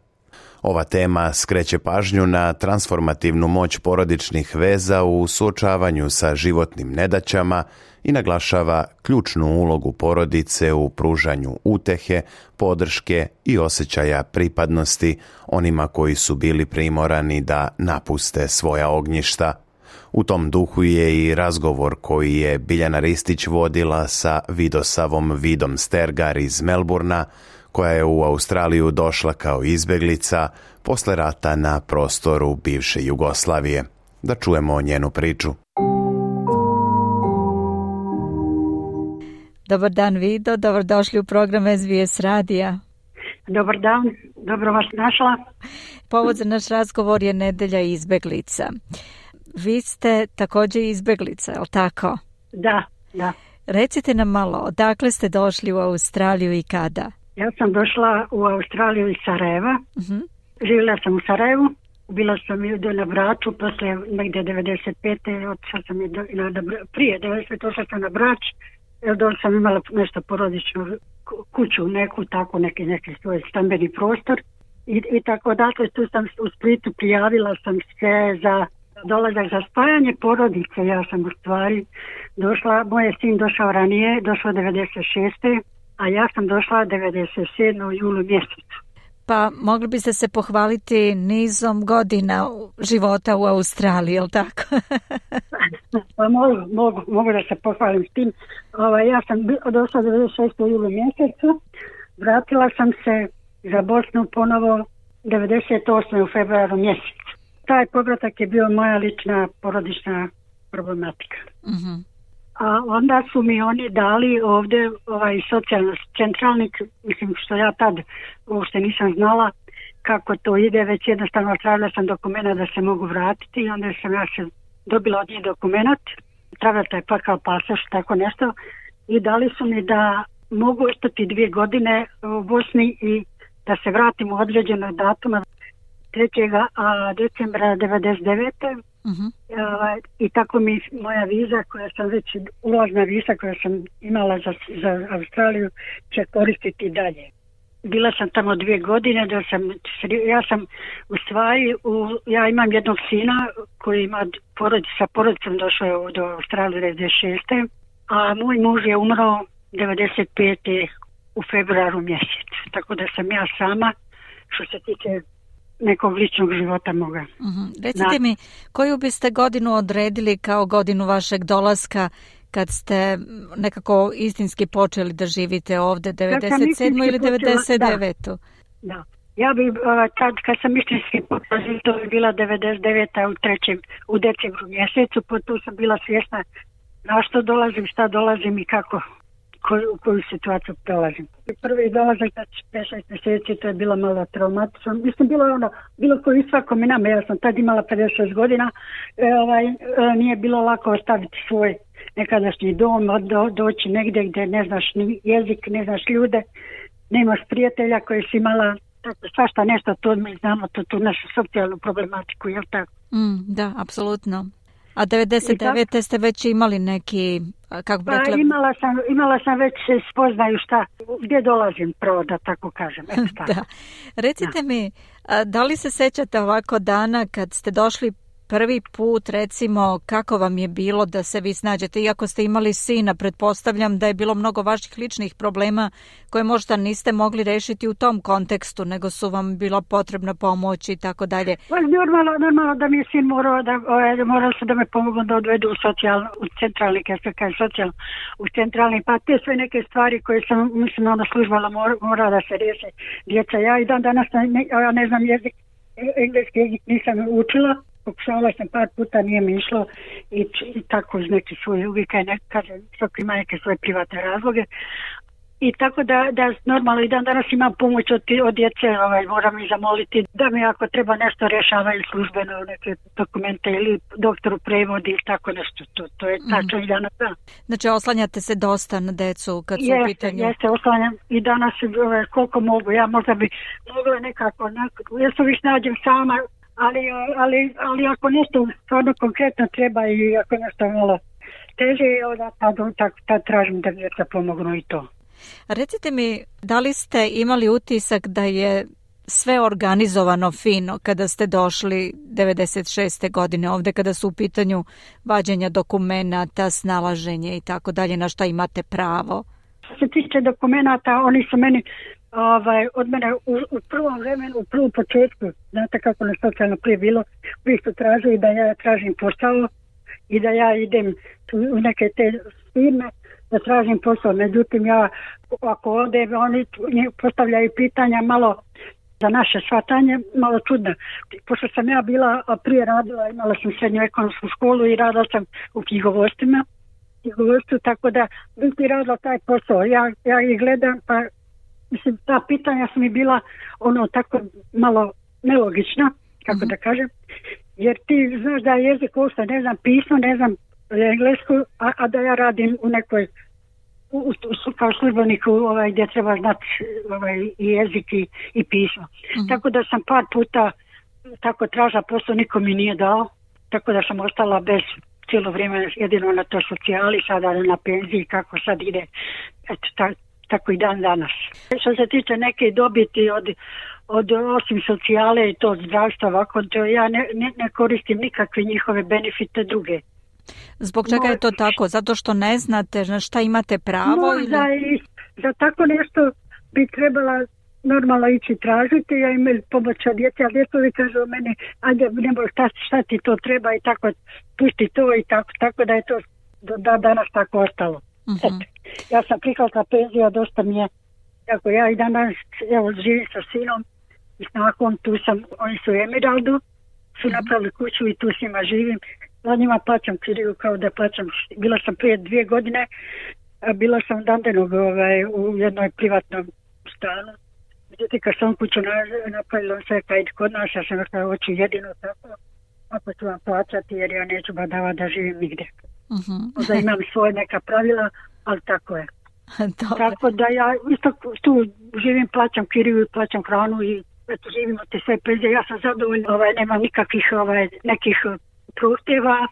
Ova tema skreće pažnju na transformativnu moć porodičnih veza u suočavanju sa životnim nedaćama i naglašava ključnu ulogu porodice u pružanju utehe, podrške i osjećaja pripadnosti onima koji su bili primorani da napuste svoja ognjišta. U tom duhu je i razgovor koji je Biljana Ristić vodila sa Vidosavom Vidom Stergar iz Melburna, koja je u Australiju došla kao izbeglica posle rata na prostoru bivše Jugoslavije. Da čujemo njenu priču. Dobar dan Vido, dobrodošli u program SBS radija. Dobar dan, dobro vas našla. Povod za naš razgovor je Nedelja izbeglica. Vi ste također izbeglica, je li tako? Da. Recite nam malo, odakle ste došli u Australiju i kada? Ja sam došla u Australiju iz Sarajeva. Živjela sam u Sarajevu. Bila sam na Braču, posle negdje 95. Otišla sam prije 90. Došla sam na Brač, jer dole sam imala nešto porodično kuću, neku, tako neki svoj stambeni prostor. I tako dakle, tu sam u Splitu prijavila sam se za dolazak za spajanje porodice. Ja sam u stvari došla, moj sin došao ranije, došao 96. a ja sam došla 97. u julu mjesecu. Pa mogli biste se pohvaliti nizom godina života u Australiji, je li tako? Pa mogu da se pohvalim s tim. Ja sam došla 96. u julu mjesecu, vratila sam se za Bosnu ponovo 98. u februaru mjesecu. Taj povratak je bio moja lična porodična problematika. A onda su mi oni dali ovdje socijalni centralnik, mislim što ja tad uopšte nisam znala kako to ide, već jednostavno tražila sam dokumenta da se mogu vratiti i onda sam ja se dobila od njih dokument, tražila taj pakao pasoš, tako nešto, i dali su mi da mogu ostati 2 godine u Bosni i da se vratim u određenog datuma 3. decembra 99. I tako mi moja viza koja sam već, ulazna viza koja sam imala za Australiju će koristiti dalje. Bila sam tamo 2 godine, ja sam u stvari, ja imam jednog sina koji ima sa porodicom došao do Australije 96. A moj muž je umro 95. u februaru mjesecu. Tako da sam ja sama što se tiče nekog ličnog života moga. Recite mi, koju biste godinu odredili kao godinu vašeg dolaska kad ste nekako istinski počeli da živite ovdje, 97. ili 99. Da. Ja bi kad sam istinski počela, to je bila 99. u decembru mjesecu, po tu sam bila svjesna na što dolazim, šta dolazim i kako, u koju situaciju dolazim. Prvi dolazak za 5-6 mjeseci, to je bilo malo traumatično. Mislim, bilo koji svakom i nama. Ja sam tad imala 56 godina. Nije bilo lako ostaviti svoj nekadašnji dom, doći negdje gdje ne znaš ni jezik, ne znaš ljude, nemaš prijatelja koji si imala, svašta nešto, to mi znamo, tu našu socijalnu problematiku, je li tako? Da, apsolutno. A 99. ste već imali neki, kako bi rekla... Imala sam već spoznaju gdje dolazim, prvo da tako kažem. Da. Recite mi, da li se sećate ovako dana kad ste došli prvi put, recimo, kako vam je bilo da se vi snađete? Iako ste imali sina, pretpostavljam da je bilo mnogo vaših ličnih problema koje možda niste mogli rešiti u tom kontekstu, nego su vam bila potrebna pomoć i tako dalje. Normalno da mi je sin morao se da me pomogu da odvedu u centralni, u centralni, pa te sve neke stvari koje sam, mislim, ona službala mora da se riješe djeca. Ja i danas ne znam jezik, engleski jezik nisam učila. Pokušavala sam par puta, nije mi išlo i tako iz neke svoje uvijek, kažem, svaki ima neke svoje privatne razloge. I tako da normalno i danas imam pomoć od djece, moram ih zamoliti da mi ako treba nešto rješavaju službeno, neke dokumente ili doktoru prevodi ili tako nešto. To je tačno i danas. Da. Znači oslanjate se dosta na decu kad su u pitanju? Jeste, oslanjam i danas koliko mogu. Ja možda bi mogla nekako, ja se uvijek nađem sama, ali ako nešto stvarno konkretno treba i ako nešto malo teže, tad tražim da djeca pomognu i to. Recite mi, da li ste imali utisak da je sve organizovano fino kada ste došli 96. godine ovdje, kada su u pitanju vađenja dokumenata, snalaženje i tako dalje, na šta imate pravo? Što se tiče dokumenata, oni su meni od mene u prvom vremenu, u prvom početku, znate kako na socijalno prije bilo, uvijek su tražili da ja tražim posao i da ja idem u neke te firme da tražim posao. Međutim, ja ako ovdje oni postavljaju pitanja malo za naše shvatanje, malo čudno. Pošto sam ja bila prije radila, imala sam srednju ekonomsku školu i radila sam u knjigovodstvu, tako da biti radila taj posao. Ja ih gledam, pa mislim, ta pitanja su mi bila tako malo nelogična, kako da kažem, jer ti znaš da je jezik uopšte, ne znam pismo, ne znam englesku, a da ja radim u nekoj kao službeniku gdje treba znati i jezik i pismo. Tako da sam par puta tako tražila posao, niko mi nije dao, tako da sam ostala bez cijelo vrijeme jedino na to socijali, sada na penziji, kako sad ide, eto, tako i dan danas. Što se tiče neke dobiti od osim socijale i to zdravstva, ovako, to ja ne koristim nikakve njihove benefite druge. Zbog čega je to tako? Zato što ne znate na šta imate pravo? Možda i za tako nešto bi trebala normalno ići tražiti. Ja imam pomoć od djece, ali djetovi kažu o meni, ajde, nebo šta ti to treba i tako, pusti to i tako da je to do danas tako ostalo. Ja sam prihvatila penziju, dosta mi je, ako ja i danas živim sa sinom i snahom, tu sam, oni su u Emeraldu, su napravili kuću i tu s njima živim. Za njima plaćam kiriju kao da plaćam. Bila sam prije 2 godine, bila sam Dandenog u jednoj privatnom stanu. Međutim, kad sam kuću napravila, on se kaj kod nas, ja sam rekao, hoću jedino tako, ako ću vam plaćati, jer ja neću badavati da živim nigdje. Možda imam svoje neka pravila, ali tako je. Tako da ja isto tu živim, plaćam kiriju, plaćam hranu i eto, živimo te sve penzije. Ja sam zadovoljna, nemam nikakvih nekih prohtjeva.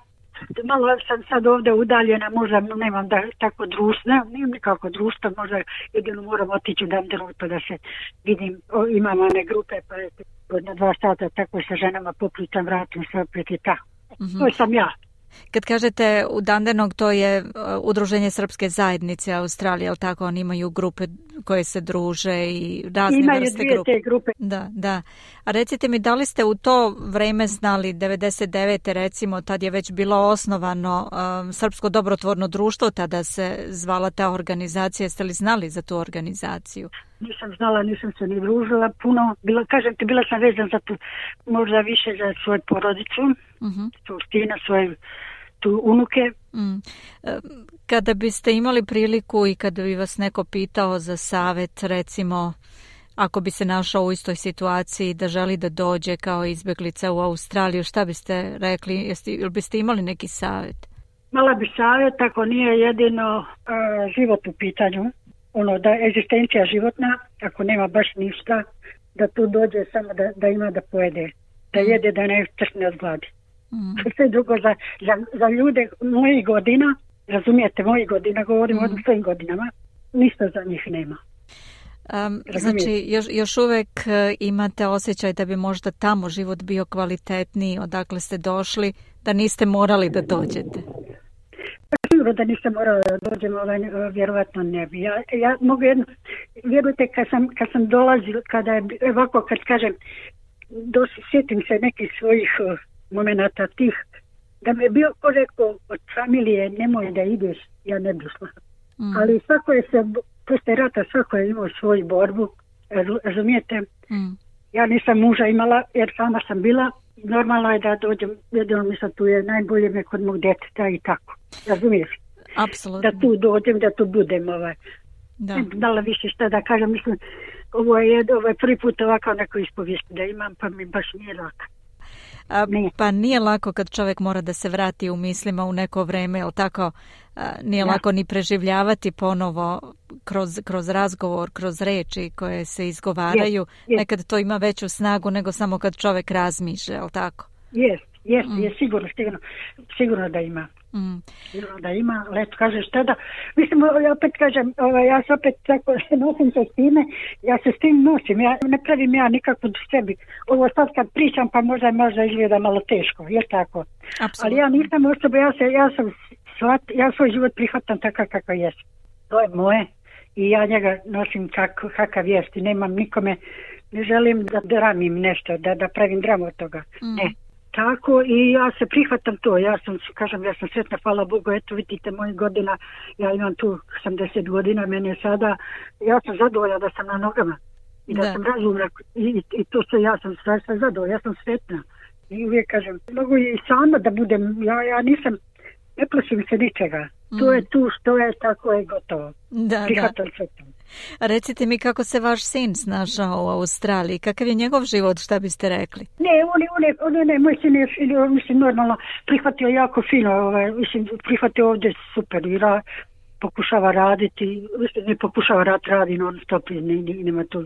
Malo sam sad ovdje udaljena, možda nemam da tako društvo, nemam nikako društvo, možda jedino moram otići u Danderu pa da se vidim, imam one grupe pa na 2 sata tako sa ženama popričam, vratim se opet i tako. To sam ja. Kad kažete u Dandenog, to je Udruženje Srpske zajednice Australije, ali tako, oni imaju grupe koje se druže i razne imaju vrste grupe. Imaju 2 te grupe. Da. A recite mi, da li ste u to vreme znali, 99. recimo, tad je već bilo osnovano Srpsko dobrotvorno društvo, tada se zvala ta organizacija, jeste li znali za tu organizaciju? Nisam znala, nisam se ni družila puno. Kažem ti, bila sam vezan za tu, možda više za svoju porodicu, svoju stina, svoje tu unuke. Kada biste imali priliku i kada bi vas neko pitao za savjet, recimo, ako bi se našao u istoj situaciji da želi da dođe kao izbjeglica u Australiju, šta biste rekli? Ili biste imali neki savjet? Mala bi savjet, ako nije jedino život u pitanju, da je egzistencija životna, ako nema baš ništa, da tu dođe samo da ima da pojede, da jede, da ne tršne od gladi. Sve drugo za ljude mojih godina, razumijete, mojih godina, govorim o svojim godinama, ništa za njih nema. Znači, još uvek imate osjećaj da bi možda tamo život bio kvalitetniji, odakle ste došli, da niste morali da dođete? Sigurno da nisam morala da dođem, vjerovatno ne bi. Ja mogu jedno, vjerujte, kad sam dolazila, kada je ovako, kad kažem, sjetim se nekih svojih momenata tih, da mi je bio ko rekao od familije, nemoj da ideš, ja ne bi šla. Ali svako je se, posle rata, svako je imao svoju borbu, razumijete? Ja nisam muža imala, jer sama sam bila, normalno je da dođem, jedino mi sad tu je najbolje me kod mog djeteta i tako, razumiješ? Apsolutno. Da tu dođem, da tu budem, dala više šta da kažem, mislim, ovo je prvi put ovako neko ispovijest da imam, pa mi baš nije lako. Pa nije lako kad čovjek mora da se vrati u mislima u neko vreme, jel tako? Nije lako ni preživljavati ponovo kroz razgovor, kroz reči koje se izgovaraju. Nekad to ima veću snagu nego samo kad čovjek razmišlja, jel tako? Je sigurno da ima. Sigurno da ima, ali eto kažeš tada, mislim, ja opet kažem, ja se opet tako nosim se s time, ja se s tim nosim, ja ne pravim ja nikako sebi. Ovo sad kad pričam pa možda izgleda malo teško, je tako? Absolutno. Ali ja nisam osoba, ja svoj život prihvatam takav kakav jest. To je moje i ja njega nosim kakav jest i nemam nikome, ne želim da dramim nešto, da pravim dramu od toga. Ne. tako i ja se prihvatam to. Ja sam sretna, hvala Bogu, eto vidite mojih godina, ja imam tu 80 godina, meni je sada, ja sam zadovoljna da sam na nogama i da sam razumna i to sve, ja sam sve zadovoljna, ja sam sretna. I uvijek kažem, mogu i sama da budem, ja nisam, ne plašim se ničega. To je tu što je, tako je gotovo. Prihvatam se to. Recite mi kako se vaš sin snašao u Australiji, kakav je njegov život, šta biste rekli? Ne, moj sin je, mislim, normalno prihvatio jako fino, prihvatio ovdje super, pokušava raditi, ne pokušava radi non stop, nema tu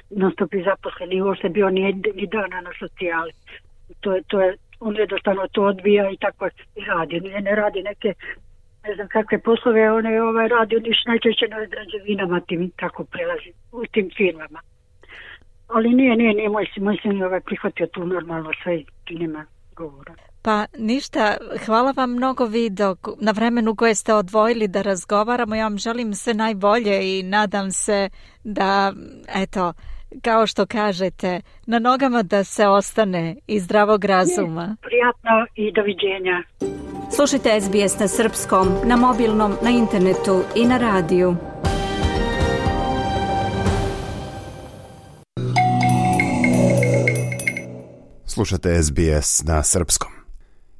non stop i zaposleni, uopšte bio ni dana na socijali. To je, on jednostavno to odbija i tako radi, ne radi neke, ne znam kakve poslove, on radi najčešće na građevinama, tim tako prelazi u tim firmama. Ali nije moj sin prihvatio tu normalno sve i nema govora. Pa ništa, hvala vam mnogo Vido na vremenu koje ste odvojili da razgovaramo. Ja vam želim sve najbolje i nadam se da, eto, kao što kažete, na nogama da se ostane i zdravog razuma. Prijatno i doviđenja. Slušajte SBS na srpskom, na mobilnom, na internetu i na radiju. Slušate SBS na srpskom.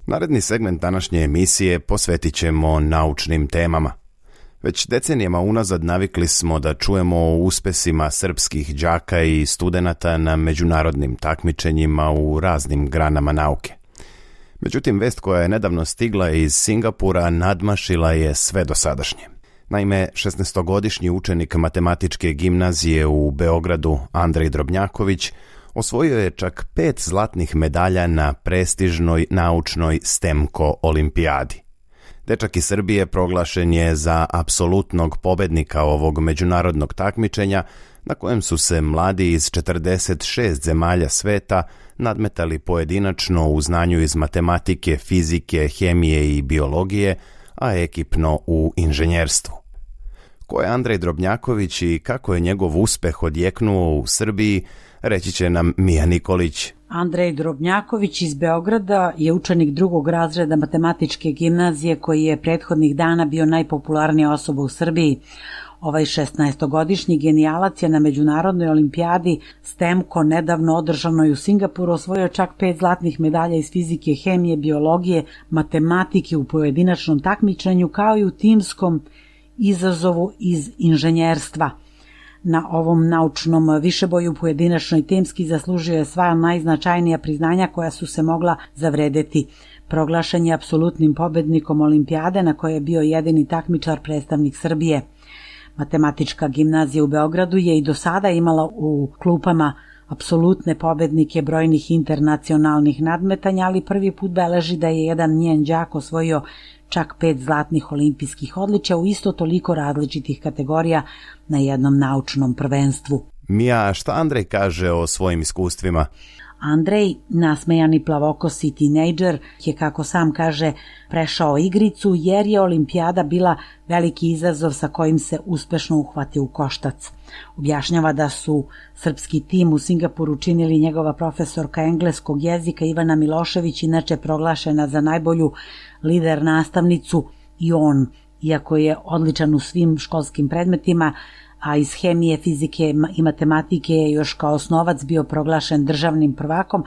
Naredni segment današnje emisije posvetit ćemo naučnim temama. Već decenijama unazad navikli smo da čujemo o uspesima srpskih đaka i studenata na međunarodnim takmičenjima u raznim granama nauke. Međutim, vest koja je nedavno stigla iz Singapura nadmašila je sve dosadašnje. Naime, 16-godišnji učenik matematičke gimnazije u Beogradu, Andrej Drobnjaković, osvojio je čak 5 zlatnih medalja na prestižnoj naučnoj STEMKO olimpijadi. Dečak iz Srbije proglašen je za apsolutnog pobednika ovog međunarodnog takmičenja, na kojem su se mladi iz 46 zemalja sveta nadmetali pojedinačno u znanju iz matematike, fizike, hemije i biologije, a ekipno u inženjerstvu. Ko je Andrej Drobnjaković i kako je njegov uspeh odjeknuo u Srbiji, reći će nam Mija Nikolić. Andrej Drobnjaković iz Beograda je učenik 2. razreda matematičke gimnazije koji je prethodnih dana bio najpopularnija osoba u Srbiji. Ovaj 16-godišnji genijalac je na međunarodnoj olimpijadi STEMKO nedavno održanoj u Singapuru osvojio čak 5 zlatnih medalja iz fizike, hemije, biologije, matematike u pojedinačnom takmičenju kao i u timskom izazovu iz inženjerstva. Na ovom naučnom višeboju pojedinačno i timski zaslužio je sva najznačajnija priznanja koja su se mogla zavredeti. Proglašen je apsolutnim pobednikom olimpijade na kojoj je bio jedini takmičar predstavnik Srbije. Matematička gimnazija u Beogradu je i do sada imala u klupama apsolutne pobednike brojnih internacionalnih nadmetanja, ali prvi put beleži da je jedan njen đak osvojio čak 5 zlatnih olimpijskih odličja u isto toliko različitih kategorija na jednom naučnom prvenstvu. Mija, šta Andrej kaže o svojim iskustvima? Andrej, nasmejani plavokosi tinejdžer, je, kako sam kaže, prešao igricu jer je olimpijada bila veliki izazov sa kojim se uspešno uhvatio u koštac. Objašnjava da su srpski tim u Singapuru činili njegova profesorka engleskog jezika Ivana Milošević, inače proglašena za najbolju lider nastavnicu, i on, iako je odličan u svim školskim predmetima, a iz hemije, fizike i matematike je još kao osnovac bio proglašen državnim prvakom,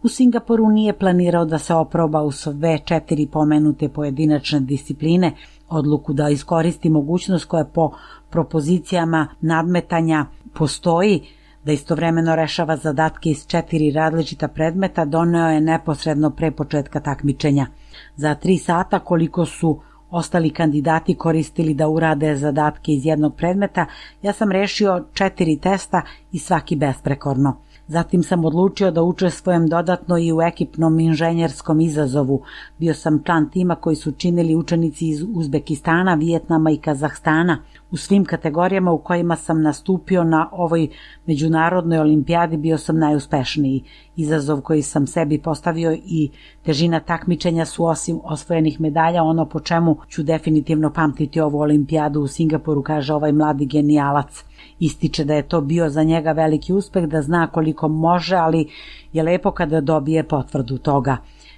u Singapuru nije planirao da se oproba u sve 4 pomenute pojedinačne discipline, odluku da iskoristi mogućnost koja po propozicijama nadmetanja postoji, da istovremeno rešava zadatke iz 4 različita predmeta, doneo je neposredno pre početka takmičenja. Za 3 sata, koliko su ostali kandidati koristili da urade zadatke iz jednog predmeta, ja sam rešio 4 testa i svaki besprekorno. Zatim sam odlučio da učestvujem dodatno i u ekipnom inženjerskom izazovu. Bio sam član tima koji su činili učenici iz Uzbekistana, Vijetnama i Kazahstana. U svim kategorijama u kojima sam nastupio na ovoj međunarodnoj olimpijadi bio sam najuspešniji. Izazov koji sam sebi postavio i težina takmičenja su, osim osvojenih medalja, ono po čemu ću definitivno pamtiti ovu olimpijadu u Singapuru, kaže ovaj mladi genijalac. Ističe da je to bio za njega veliki uspeh, da zna koliko može, ali je lepo kada dobije potvrdu toga.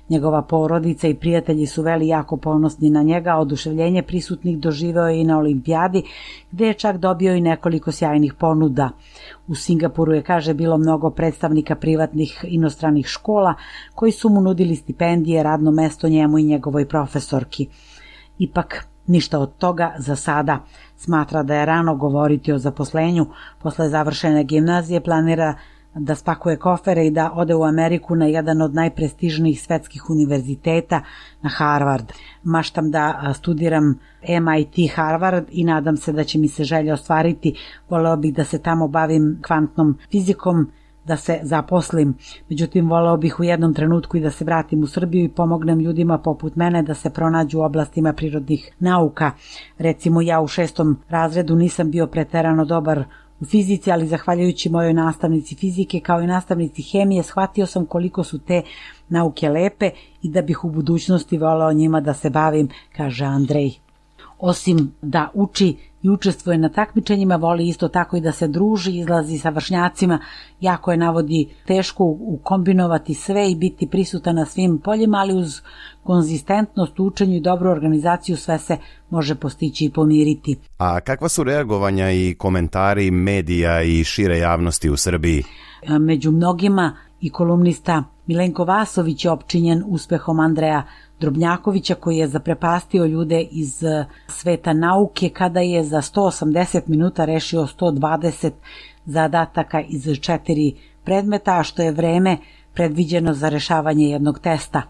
Njegova porodica i prijatelji su bili jako ponosni na njega, oduševljenje prisutnih doživeo je i na olimpijadi, gde je čak dobio i nekoliko sjajnih ponuda. U Singapuru je, kaže, bilo mnogo predstavnika privatnih inostranih škola koji su mu nudili stipendije, radno mesto njemu i njegovoj profesorki. Ipak, ništa od toga za sada. Smatra da je rano govoriti o zaposlenju. Posle završene gimnazije planira da spakuje kofere i da ode u Ameriku na jedan od najprestižnijih svetskih univerziteta, na Harvard. Maštam da studiram MIT Harvard i nadam se da će mi se želja ostvariti. Voleo bih da se tamo bavim kvantnom fizikom, da se zaposlim. Međutim, voleo bih u jednom trenutku i da se vratim u Srbiju i pomognem ljudima poput mene da se pronađu u oblastima prirodnih nauka. Recimo, ja u 6. razredu nisam bio preterano dobar u fizici, ali zahvaljujući mojoj nastavnici fizike kao i nastavnici hemije shvatio sam koliko su te nauke lepe i da bih u budućnosti voleo njima da se bavim, kaže Andrej. Osim da uči i učestvuje na takmičenjima, voli isto tako i da se druži, izlazi sa vršnjacima. Jako je, navodi, teško ukombinovati sve i biti prisutan na svim poljima, ali uz konzistentnost u učenju i dobru organizaciju sve se može postići i pomiriti. A kakva su reagovanja i komentari medija i šire javnosti u Srbiji? Među mnogima i kolumnista Milenko Vasović je opčinjen uspehom Andreja Drobnjakovića, koji je zaprepastio ljude iz sveta nauke kada je za 180 minuta rešio 120 zadataka iz 4 predmeta, a što je vreme predviđeno za rešavanje jednog testa.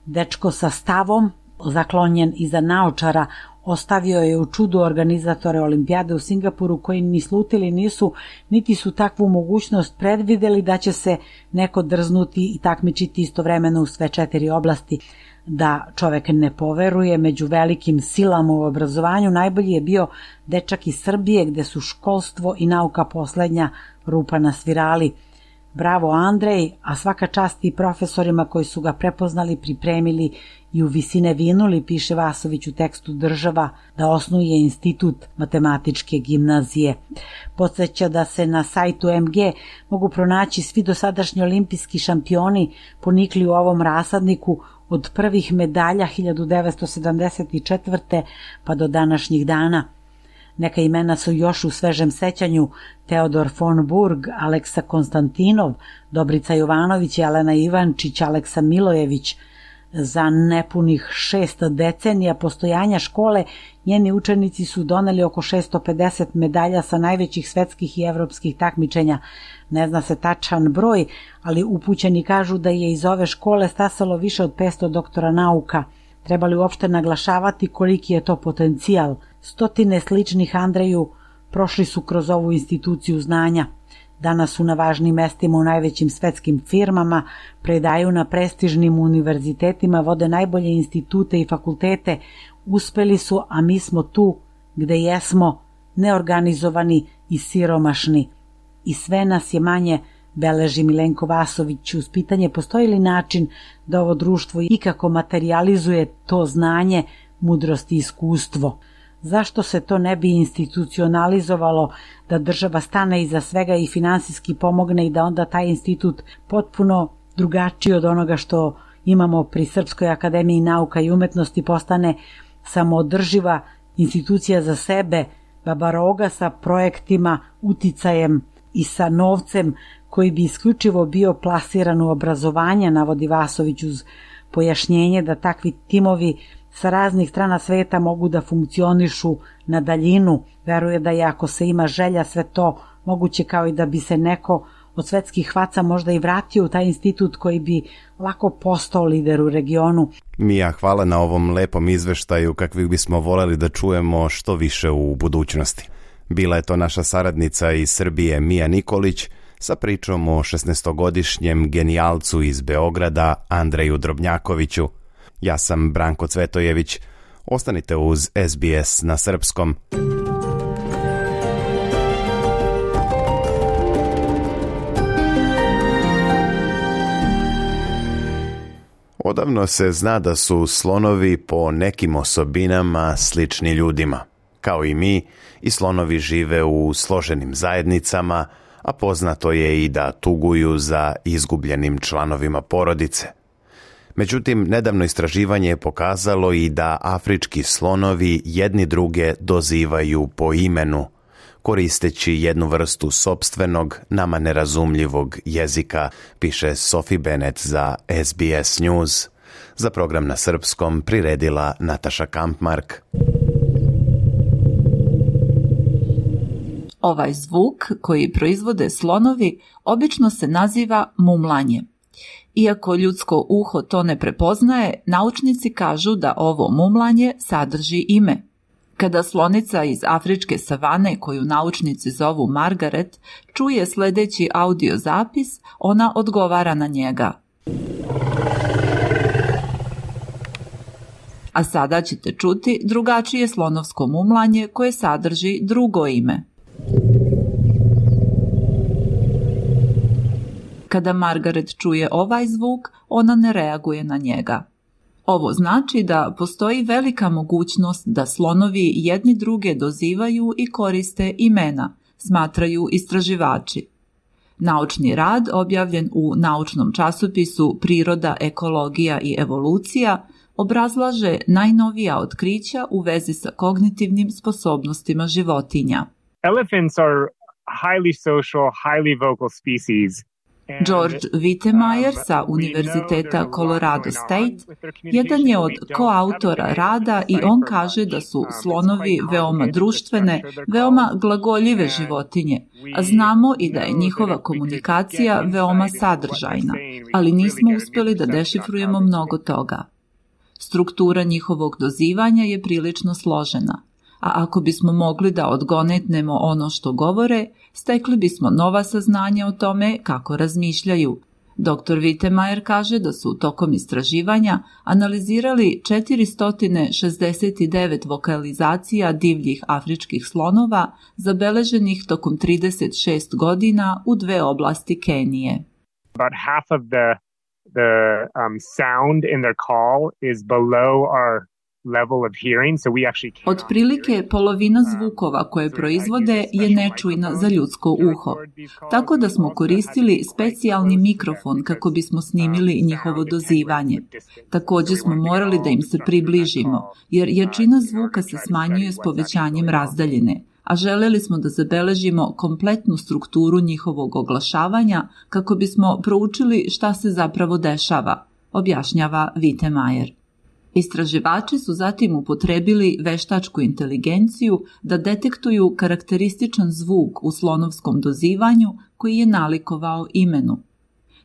Dečko sa stavom, zaklonjen iza naočara, ostavio je u čudu organizatore olimpijade u Singapuru, koji ni slutili nisu, niti su takvu mogućnost predvideli da će se neko drznuti i takmičiti istovremeno u sve 4 oblasti. Da čovek ne poveruje, među velikim silama u obrazovanju najbolji je bio dečak iz Srbije, gde su školstvo i nauka poslednja rupa na svirali. Bravo Andrej, a svaka čast i profesorima koji su ga prepoznali, pripremili i u visine vinuli, piše Vasović u tekstu Država, da osnuje institut matematičke gimnazije. Podsjeća da se na sajtu MG mogu pronaći svi dosadašnji olimpijski šampioni ponikli u ovom rasadniku od prvih medalja 1974. pa do današnjih dana. Neka imena su još u svežem sećanju: Teodor von Burg, Aleksa Konstantinov, Dobrica Jovanović, Jelena Ivančić, Aleksa Milojević. Za nepunih 6 decenija postojanja škole njeni učenici su doneli oko 650 medalja sa najvećih svetskih i evropskih takmičenja. Ne zna se tačan broj, ali upućeni kažu da je iz ove škole stasalo više od 500 doktora nauka. Treba li uopšte naglašavati koliki je to potencijal? Stotine sličnih Andreju prošli su kroz ovu instituciju znanja. Danas su na važnim mestima u najvećim svetskim firmama, predaju na prestižnim univerzitetima, vode najbolje institute i fakultete. Uspeli su, a mi smo tu gde jesmo, neorganizovani i siromašni. I sve nas je manje, beleži Milenko Vasović. Uz pitanje postoji li način da ovo društvo ikako materijalizuje to znanje, mudrost i iskustvo. Zašto se to ne bi institucionalizovalo, da država stane iza svega i finansijski pomogne i da onda taj institut potpuno drugačiji od onoga što imamo pri Srpskoj akademiji nauka i umetnosti postane samoodrživa institucija za sebe, babaroga sa projektima, uticajem i sa novcem koji bi isključivo bio plasiran u obrazovanje, navodi Vasović uz pojašnjenje da takvi timovi sa raznih strana sveta mogu da funkcionišu na daljinu. Veruje da je, ako se ima želja, sve to moguće, kao i da bi se neko od svetskih hvaca možda i vratio u taj institut koji bi lako postao lider u regionu. Mija, hvala na ovom lepom izveštaju, kakvih bismo voleli da čujemo što više u budućnosti. Bila je to naša saradnica iz Srbije Mija Nikolić sa pričom o 16-godišnjem genijalcu iz Beograda Andreju Drobnjakoviću. Ja sam Branko Cvetojević. Ostanite uz SBS na srpskom. Odavno se zna da su slonovi po nekim osobinama slični ljudima. Kao i mi, i slonovi žive u složenim zajednicama, a poznato je i da tuguju za izgubljenim članovima porodice. Međutim, nedavno istraživanje je pokazalo i da afrički slonovi jedni druge dozivaju po imenu, koristeći jednu vrstu sopstvenog, nama nerazumljivog jezika, piše Sophie Bennett za SBS News. Za program na srpskom priredila Nataša Kampmark. Ovaj zvuk koji proizvode slonovi obično se naziva mumlanje. Iako ljudsko uho to ne prepoznaje, naučnici kažu da ovo mumlanje sadrži ime. Kada slonica iz afričke savane, koju naučnici zovu Margaret, čuje sledeći audio zapis, ona odgovara na njega. A sada ćete čuti drugačije slonovsko mumlanje koje sadrži drugo ime. Kada Margaret čuje ovaj zvuk, ona ne reaguje na njega. Ovo znači da postoji velika mogućnost da slonovi jedni druge dozivaju i koriste imena, smatraju istraživači. Naučni rad, objavljen u naučnom časopisu Priroda, ekologija i evolucija, obrazlaže najnovija otkrića u vezi sa kognitivnim sposobnostima životinja. Elephants are highly social, highly vocal species. George Wittemeyer sa Univerziteta Colorado State jedan je od koautora rada i on kaže da su slonovi veoma društvene, veoma glagoljive životinje, a znamo i da je njihova komunikacija veoma sadržajna, ali nismo uspjeli da dešifrujemo mnogo toga. Struktura njihovog dozivanja je prilično složena, a ako bismo mogli da odgonetnemo ono što govore, stekli bismo nova saznanja o tome kako razmišljaju. Dr. Wittemeyer kaže da su tokom istraživanja analizirali 469 vokalizacija divljih afričkih slonova zabeleženih tokom 36 godina u dve oblasti Kenije. About half of the sound in their call is below our level of hearing, so we actually can't. Otprilike polovina zvukova koje proizvode je nečujna za ljudsko uho, tako da smo koristili specijalni mikrofon kako bismo snimili njihovo dozivanje. Također smo morali da im se približimo, jer jačina zvuka se smanjuje s povećanjem razdaljine, a želeli smo da zabeležimo kompletnu strukturu njihovog oglašavanja kako bismo proučili šta se zapravo dešava, objašnjava Wittemeyer. Istraživači su zatim upotrebili veštačku inteligenciju da detektuju karakterističan zvuk u slonovskom dozivanju koji je nalikovao imenu.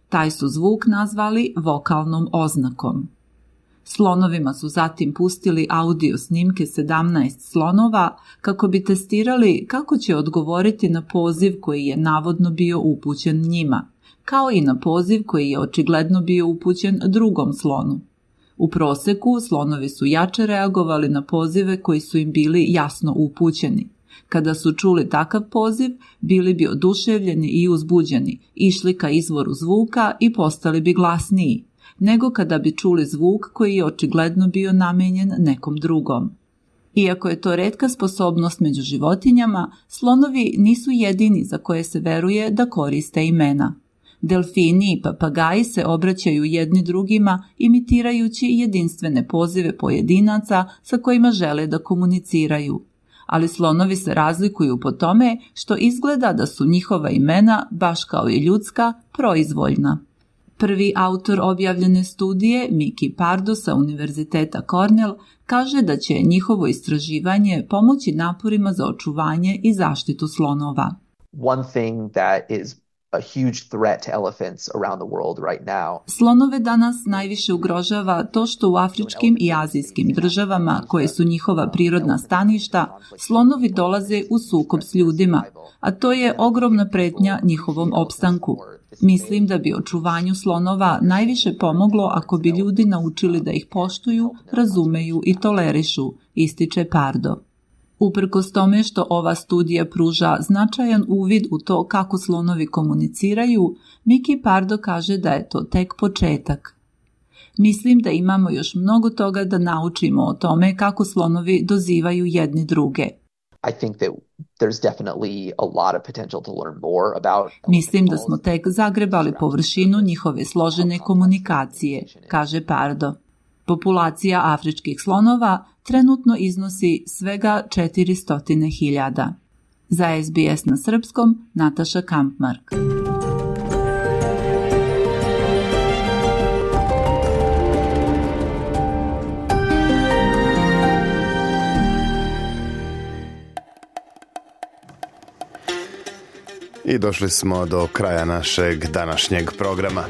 Taj su zvuk nazvali vokalnom oznakom. Slonovima su zatim pustili audio snimke 17 slonova kako bi testirali kako će odgovoriti na poziv koji je navodno bio upućen njima, kao i na poziv koji je očigledno bio upućen drugom slonu. U proseku slonovi su jače reagovali na pozive koji su im bili jasno upućeni. Kada su čuli takav poziv, bili bi oduševljeni i uzbuđeni, išli ka izvoru zvuka i postali bi glasniji, nego kada bi čuli zvuk koji je očigledno bio namenjen nekom drugom. Iako je to retka sposobnost među životinjama, slonovi nisu jedini za koje se veruje da koriste imena. Delfini i papagaji se obraćaju jedni drugima imitirajući jedinstvene pozive pojedinaca sa kojima žele da komuniciraju. Ali slonovi se razlikuju po tome što izgleda da su njihova imena, baš kao i ljudska, proizvoljna. Prvi autor objavljene studije, Mickey Pardo sa Univerziteta Cornell, kaže da će njihovo istraživanje pomoći naporima za očuvanje i zaštitu slonova. One thing that is a huge threat to elephants around the world right now. Slonove danas najviše ugrožava to što u afričkim i azijskim državama, koje su njihova prirodna staništa, slonovi dolaze u sukob s ljudima, a to je ogromna pretnja njihovom opstanku. Mislim da bi očuvanju slonova najviše pomoglo ako bi ljudi naučili da ih poštuju, razumeju i tolerišu, ističe Pardo. Uprkos tome što ova studija pruža značajan uvid u to kako slonovi komuniciraju, Mickey Pardo kaže da je to tek početak. Mislim da imamo još mnogo toga da naučimo o tome kako slonovi dozivaju jedni druge. I think that there's definitely a lot of potential to learn more about. Mislim da smo tek zagrebali površinu njihove složene komunikacije, kaže Pardo. Populacija afričkih slonova trenutno iznosi svega 400.000. Za SBS na srpskom, Nataša Kampmark. I došli smo do kraja našeg današnjeg programa.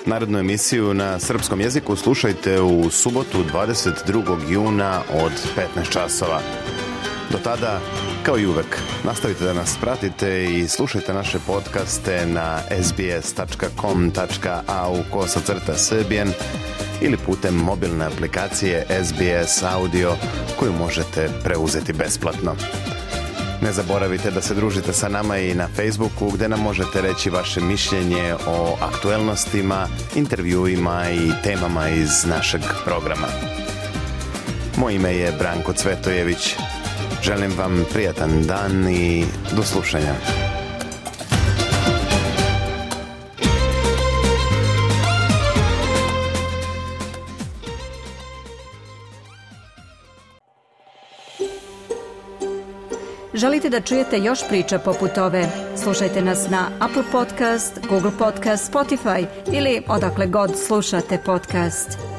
Narednu emisiju na srpskom jeziku slušajte u subotu 22. juna od 15 časova. Do tada, kao i uvek, nastavite da nas pratite i slušajte naše podcaste na sbs.com.au/srbijan ili putem mobilne aplikacije SBS Audio koju možete preuzeti besplatno. Ne zaboravite da se družite sa nama i na Facebooku gde nam možete reći vaše mišljenje o aktuelnostima, intervjuima i temama iz našeg programa. Moje ime je Branko Cvetojević. Želim vam prijatan dan i do slušanja. Želite da čujete još priča poput ove? Slušajte nas na Apple Podcast, Google Podcast, Spotify ili odakle god slušate podcast.